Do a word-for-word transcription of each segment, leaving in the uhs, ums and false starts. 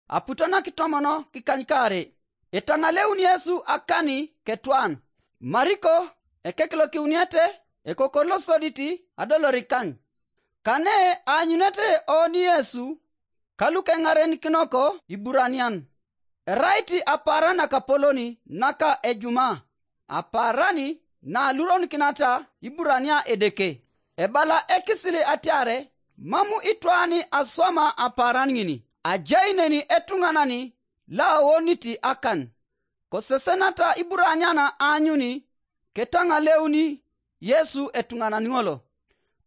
Aputo na kitomono kikanykaare. Etaŋaleun Yesu akani ketwan. Mariko ekekilokiuniete, ekokor losodit adolorik kany. Kane aanyunete oni Yesu, ka lukeŋarenikinoko Iburanian. Erait apaaran nakapolon naka ejuma, apaaran na aluronikinata Iburania Edeke. Ebala ekisil atiar mam itwaan aswama apaaran ŋin. Ajai neni etuŋanan lo aonit akan. Kosesenata Iburanian aanyun ketaŋaleuni Yesu etuŋanan ŋol.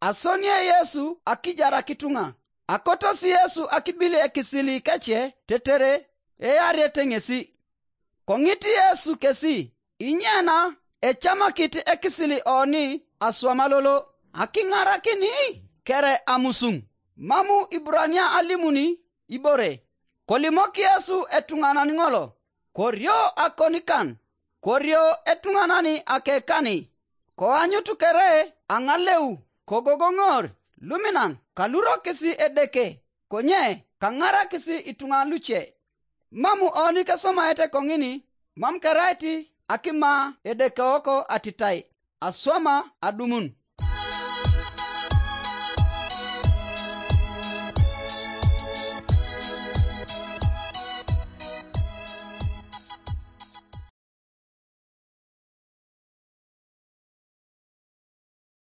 Asonie Yesu akijarak ituŋa. Akotos Yesu akibil ekisil kece tetere earete ŋesi. Koŋit Yesu kesi, inyena ecamakit ekisil oni aswama lolo akiŋarakin kere amusuŋ. Mam Iburania alimun ibore. Kolimok Yesu etuŋanan ŋol, korio akonikan, korio etuŋanan akekani, koanyut kere aŋaleu, kogogoŋor luminan kalurokis Edeke, konye kaŋarakis ituŋa luce. Mam oni kesomaete koŋin, mam kerait akima Edeke wok atitai, aswama adumun.